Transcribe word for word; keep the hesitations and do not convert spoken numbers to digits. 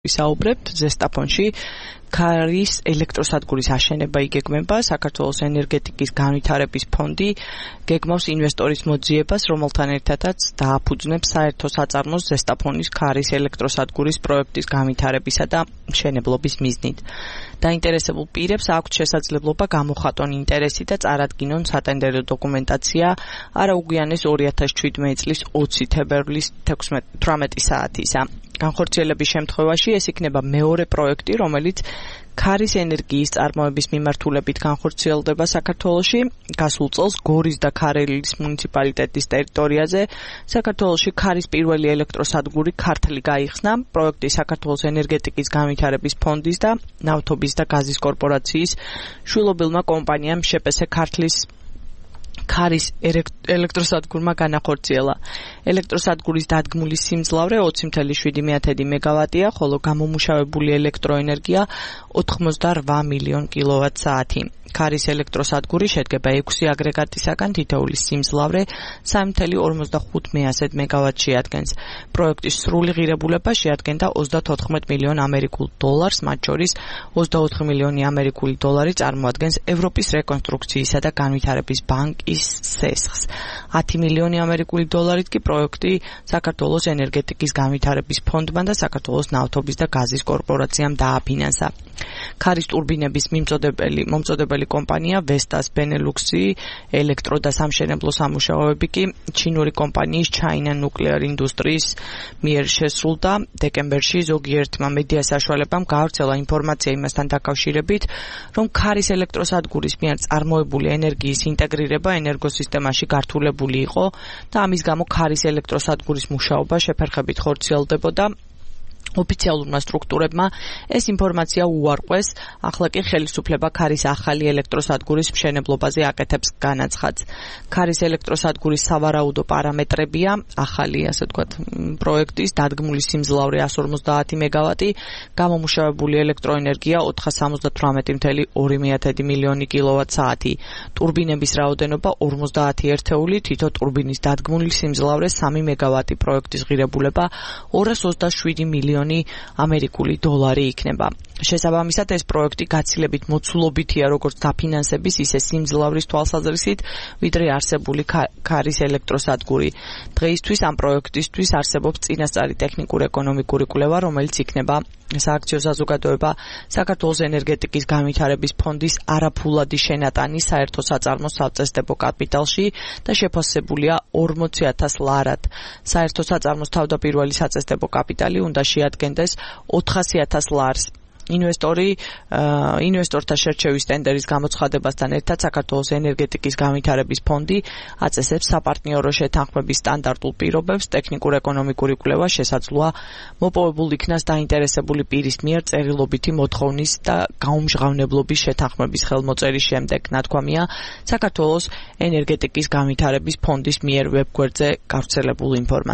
ვისაუბრებთ ზესტაფონში. ქარის ელექტროსადგურის აშენება იგეგმება. საქართველოს ენერგეტიკის განვითარების ფონდი გეგმავს ინვესტორის მოძიებას, რომელთან ერთადაც დააფუძნებს საერთო საწარმოს ზესტაფონის ქარის ელექტროსადგურის პროექტის განვითარებისა და მშენებლობის მიზნით. დაინტერესებულ პირებს აქვთ შესაძლებლობა გამოხატონ ინტერესი და წარადგინონ სატენდერო დოკუმენტაცია არაუგვიანეს ორი ათას შვიდმეტი წლის ოცი თებერვლის თერთმეტი საათისა. განხორციელების შემთხვევაში ეს იქნება მეორე პროექტი, რომელიც ქარის ენერგიის წარმოების მიმართულებით განხორციელდება საქართველოში. გასულ წელს გორის და ქარელის მუნიციპალიტეტის ტერიტორიაზე საქართველოში ქარის პირველი ელექტროსადგური ქართლი გაიხსნა. პროექტი საქართველოს ენერგეტიკის განვითარების ფონდის და ნავთობის და გაზის კორპორაციის შვილობილმა კომპანიამ შეპესე ქართლის ქარის ელექტროსადგურმა განახორციელა. ელექტროსადგურის დადგმული სიმძლავრე ოცი ათეული შვიდი მეგავატია, ხოლო გამომუშავებული ელექტროენერგია ოცდაოთხ მილიონი კილოვატ-საათი. ქარის ელექტროსადგური შედგება ექვსი აგრეგატისაგან, თითოეულის სიმძლავრე სამი ათეული ორმოცდახუთი მეგავატს შეადგენს. პროექტის სრული ღირებულება შეადგენდა ოცდათოთხმეტ მილიონ ამერიკულ დოლარს, მათ შორის ოცდაოთხი მილიონი ამერიკული დოლარი წარმოადგენს ევროპის რეკონსტრუქციისა და განვითარების ბანკის სესხს. ათი მილიონი ამერიკული დოლარით კი პროექტი საქართველოს ენერგეტიკის განვითარების ფონდმა და საქართველოს ნავთობის და გაზის კორპორაციამ დააფინანსა. ქარის ტურბინების მიმწოდებელი მომწოდებელი კომპანია Vestas Benelux-ი, ელექტრო და სამშენებლო სამუშაოები კი ჩინური კომპანიის China Nuclear Industries მიერ შესრულდა. დეკემბერში ზოგიერთმა მედია საშუალებამ გაავრცელა ინფორმაცია იმასთან დაკავშირებით, რომ ქარის ელექტროსადგურის მიერ წარმოებული ენერგიის ინტეგრირება ენერგოსისტემაში გართულებული იყო და ამის გამო ქარის ელექტროსადგურის მუშაობა შეფერხებით ხორციელდებოდა. ოფიციალურმა სტრუქტურებმა ეს ინფორმაცია უარყვეს, ახლა კი ხელისუფლება ქარის ახალი ელექტროსადგურის მშენებლობაზე აკეთებს განაცხადს. ქარის ელექტროსადგურის სავარაუდო პარამეტრებია ახალი, ასე ვთქვათ, პროექტის დადგმული სიმძლავრე εκατს ორმოცდაათი მეგავატი, გამომუშავებული ელექტროენერგია ოთხსამოცდათვრამეტი ათეული ორი მილიონი კილოვატ-საათი, ტურბინების რაოდენობა ორმოცდაათი ერთეული, თითო ტურბინის დადგმული სიმძლავრე სამი მეგავატი, პროექტის ღირებულება ორას ოცდაშვიდი მილიონი ამერიკული დოლარი იქნება. შესაბამისად, ეს პროექტი გაცილებით მოცულობითია როგორც დაფინანსების, ისე სიმძლავრის თვალსაზრისით, ვიდრე არსებული ქარის ელექტროსადგური. დღეისთვის ამ პროექტისთვის არსებობს წინასწარი ტექნიკურ-ეკონომიკური კვლევა, რომელიც იქნება სააქციო საზოგადოება საქართველოს ენერგეტიკის განვითარების ფონდის არაფულადი შენატანი საერთო საწარმოს საწესდებო კაპიტალში და შეფასებულია ორმოცი ათას ლარად. საერთო საწარმოს თავდაპირველი საწესდებო კაპიტალი უნდა შეადგენდეს ოთხასი ათას ლარს. ინვესტორი ინვესტორთა შერჩევის ტენდერის გამოცხადებასთან ერთად საქართველოს ენერგეტიკის განვითარების ფონდი აწესებს საპარტნიორო შეთანხმების სტანდარტულ პირობებს. ტექნიკურ-ეკონომიკური კვლევა შესაძლოა მოპოვებულ იქნას დაინტერესებული პირის მიერ წერილობითი მოთხოვნის და გაუმჟღავნებლობის შეთანხმების ხელმოწერის შემდეგ. ნათქვამია საქართველოს ენერგეტიკის განვითარების ფონდის მიერ ვებგვერდზე გავრცელებულ ინფორმაციას.